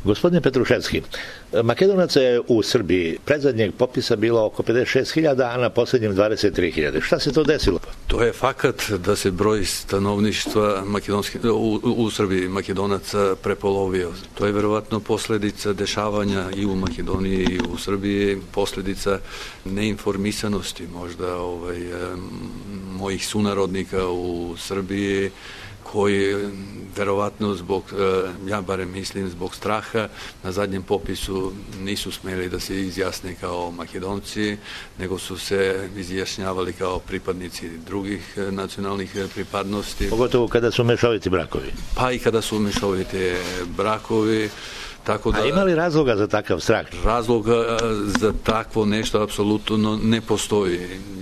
Gospodine Petruševski, Makedonaca je u Srbiji predzadnjeg popisa bilo oko 56.000, a na posljednjem 23.000. Šta se to desilo? To je fakat da se broj stanovništva u Srbiji Makedonaca prepolovio. To je verovatno posljedica dešavanja i u Makedoniji i u Srbiji, posljedica neinformisanosti možda mojih sunarodnika u Srbiji, koji verovatno zbog, ja barem mislim, zbog straha na zadnjem popisu nisu smeli da se izjasne kao Makedonci, nego su se izjašnjavali kao pripadnici drugih nacionalnih pripadnosti. Pogotovo kada su mešoviti brakovi. Pa i kada su mešoviti brakovi. A ima li razloga za takav strah? Razloga za takvo nešto apsolutno ne postoji.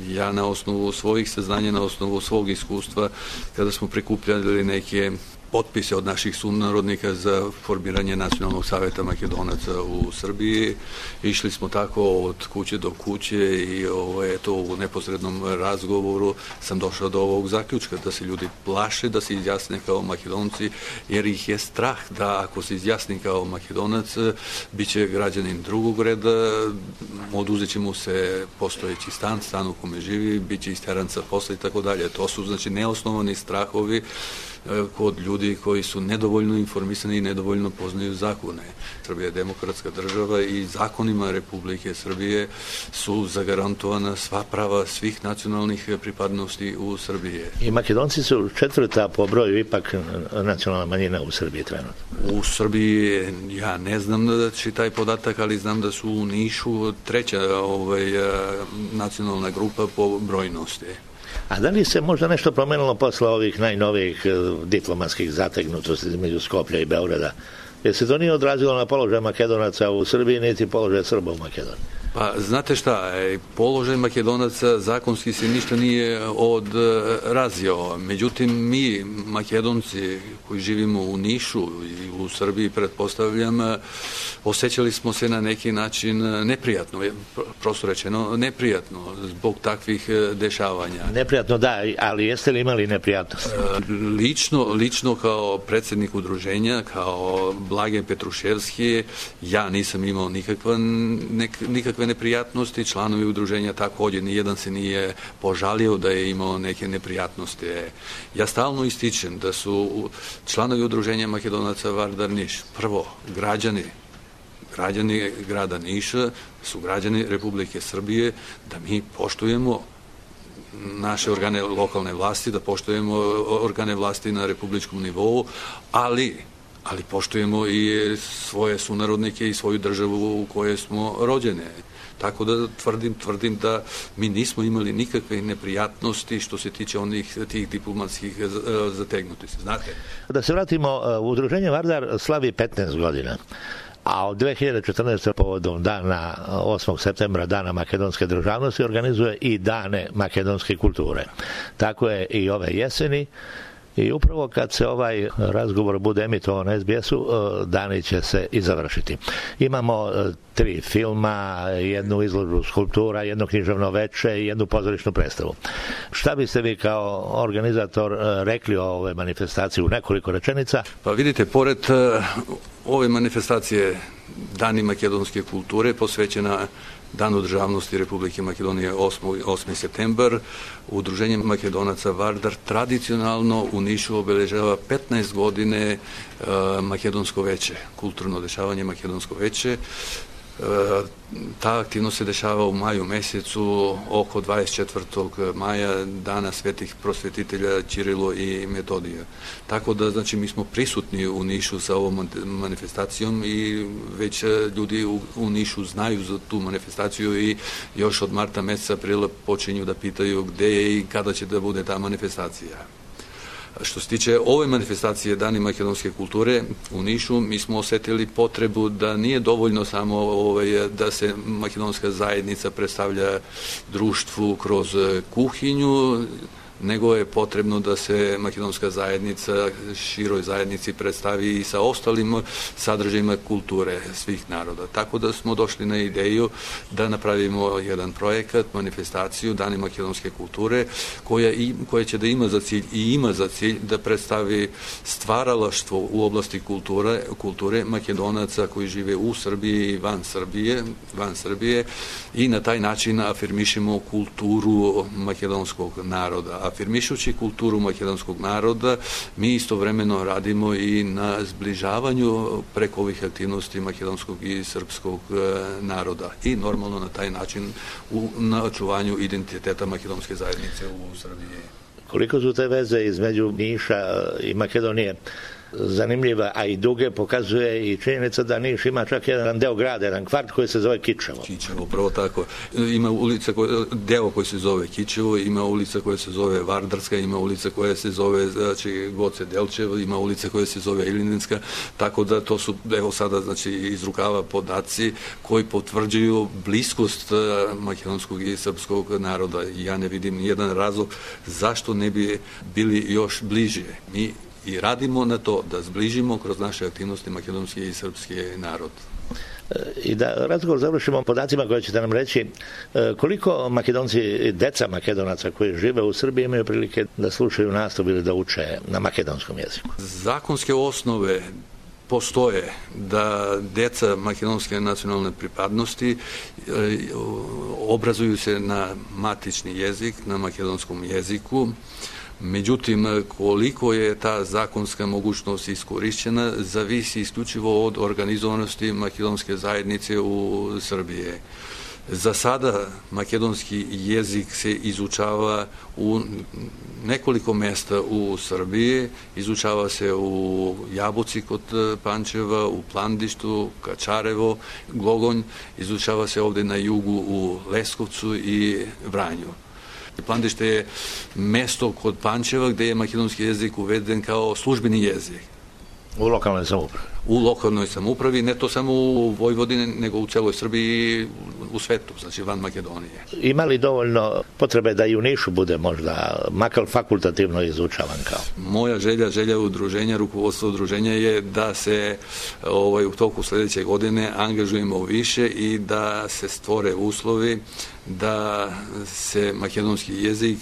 Ja na osnovu svojih saznanja, na osnovu svog iskustva, kada smo prikupljali neke potpise od naših sunarodnika za formiranje Nacionalnog savjeta Makedonaca u Srbiji, išli smo tako od kuće do kuće i u neposrednom razgovoru sam došao do ovog zaključka da se ljudi plaše da se izjasne kao Makedonci, jer ih je strah da ako se izjasni kao Makedonac, bit će građanin drugog reda, oduzet će mu se postojeći stan u kome živi, bit će isteran sa posla i tako dalje. To su znači neosnovani strahovi kod ljudi koji su nedovoljno informisani i nedovoljno poznaju zakone. Srbija je demokratska država i zakonima Republike Srbije su zagarantovana sva prava svih nacionalnih pripadnosti u Srbiji. I Makedonci su četvrta po broju ipak nacionalna manjina u Srbiji trenutno. U Srbiji ja ne znam taj podatak, ali znam da su u Nišu treća nacionalna grupa po brojnosti. A da li se možda nešto promenilo posle ovih najnovijih diplomatskih zategnutosti između Skoplja i Beograda? Jer se to nije odrazilo na položaj Makedonaca u Srbiji, niti položaj Srba u Makedoniji? Pa, znate šta, položaj Makedonaca zakonski se ništa nije odrazio. Međutim, mi, Makedonci koji živimo u Nišu i u Srbiji, pretpostavljam, osjećali smo se na neki način neprijatno, prosto rečeno neprijatno, zbog takvih dešavanja. Neprijatno, da, ali jeste li imali neprijatnost? Lično kao predsjednik udruženja, kao Blage Petruševski, ja nisam imao nikakve neprijatnosti, članovi udruženja također, nijedan se nije požalio da je imao neke neprijatnosti. Ja stalno ističem da su članovi udruženja Makedonaca Vardar Niš, prvo, građani grada Niša su građani Republike Srbije, da mi poštujemo naše organe lokalne vlasti, da poštujemo organe vlasti na republičkom nivou, ali poštujemo i svoje sunarodnike i svoju državu u kojoj smo rođene. Tako da tvrdim da mi nismo imali nikakve neprijatnosti što se tiče tih diplomatskih zategnutosti. Znate? Da se vratimo, udruženje Vardar slavi 15 godina. A od 2014. povodom dana 8. septembra, dana makedonske državnosti, organizuje i dane makedonske kulture. Tako je i ove jeseni. I upravo kad se ovaj razgovor bude emitovan na SBS-u, dani će se i završiti. Imamo 3 filma, jednu izložbu skulptura, jedno književno veče i jednu pozorišnu predstavu. Šta biste vi kao organizator rekli o ove manifestacije u nekoliko rečenica? Pa vidite, pored ove manifestacije Dani makedonske kulture posvećena Danu državnosti Republike Makedonije 8. septembar, Udruženje Makedonaca Vardar tradicionalno u Nišu obeležava 15 godine Makedonsko veće, kulturno dešavanje Makedonsko veće. Ta aktivnost se dešava u maju mjesecu oko 24. maja, dana svetih prosvetitelja Ćirilo i Metodija. Tako da, znači, mi smo prisutni u Nišu sa ovom manifestacijom i već ljudi u Nišu znaju za tu manifestaciju i još od marta mjeseca, aprila počinju da pitaju gdje je i kada će da bude ta manifestacija. Što se tiče ove manifestacije Dani makedonske kulture u Nišu, mi smo osjetili potrebu da nije dovoljno samo da se makedonska zajednica predstavlja društvu kroz kuhinju, nego je potrebno da se makedonska zajednica široj zajednici predstavi i sa ostalim sadržajima kulture svih naroda. Tako da smo došli na ideju da napravimo jedan projekat, manifestaciju Dani makedonske kulture, koja će da ima za cilj da predstavi stvaralaštvo u oblasti kulture Makedonaca koji žive u Srbiji i van Srbije i na taj način afirmišemo kulturu makedonskog naroda. Afirmišući kulturu makedonskog naroda, mi istovremeno radimo i na zbližavanju preko ovih aktivnosti makedonskog i srpskog naroda i normalno na taj način na očuvanju identiteta makedonske zajednice u Srbiji. Koliko su te veze između Niša i Makedonije zanimljiva, a i duge, pokazuje i činjenica da Niš ima čak jedan deo grada, jedan kvart koji se zove Kičevo. Kičevo, pravo tako. Ima ulica, deo koji se zove Kičevo, ima ulica koja se zove Vardarska, ima ulica koja se zove Goce Delčevo, ima ulica koja se zove Ilininska, tako da to su, evo sada, iz rukava podaci koji potvrđuju bliskost makedonskog i srpskog naroda. Ja ne vidim nijedan razlog zašto ne bi bili još bliže. Mi i radimo na to da zbližimo kroz naše aktivnosti makedonski i srpski narod. I da razgovor završimo podacima koje ćete nam reći, koliko Makedonci, deca Makedonaca koji žive u Srbiji imaju prilike da slušaju nastavu ili da uče na makedonskom jeziku? Zakonske osnove postoje da deca makedonske nacionalne pripadnosti obrazuju se na matični jezik, na makedonskom jeziku. Međutim, koliko je ta zakonska mogućnost iskorišćena, zavisi isključivo od organizovanosti makedonske zajednice u Srbiji. Za sada makedonski jezik se izučava u nekoliko mesta u Srbiji, izučava se u Jabuci kod Pančeva, u Plandištu, Kačarevo, Glogonj, izučava se ovde na jugu u Leskovcu i Vranju. Plandište je mesto kod Pančeva gde je makedonski jezik uveden kao službeni jezik. U lokalnoj samoupravi? U lokalnoj samoupravi, ne to samo u Vojvodini, nego u celoj Srbiji, u svetu, znači van Makedonije. Ima li dovoljno potrebe da i u Nišu bude možda makar fakultativno izučavan kao? Moja želja udruženja, rukovodstva udruženja je da se u toku sledeće godine angažujemo više i da se stvore uslovi da se makedonski jezik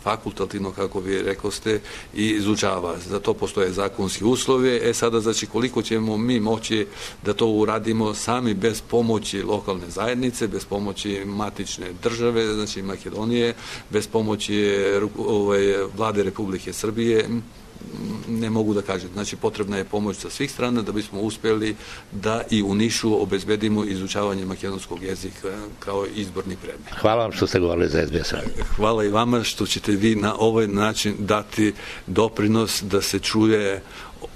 fakultativno, kako vi rekoste, izučava. Za to postoje zakonski uslovi. Sada, znači, koliko ćemo mi moći da to uradimo sami bez pomoći lokalne zajednice, bez pomoći matične države, znači Makedonije, bez pomoći vlade Republike Srbije, ne mogu da kažem. Znači, potrebna je pomoć sa svih strana da bismo uspeli da i u Nišu obezbedimo izučavanje makedonskog jezika kao izborni predmet. Hvala vam što ste govorili za SBS Radio. Hvala i vama što ćete vi na ovaj način dati doprinos da se čuje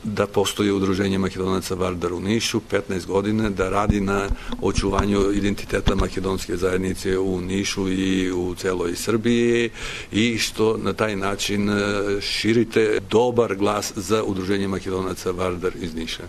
da postoji udruženje Makedonaca Vardar u Nišu 15 godina, da radi na očuvanju identiteta makedonske zajednice u Nišu i u celoj Srbiji i što na taj način širite dobar glas za udruženje Makedonaca Vardar iz Niša.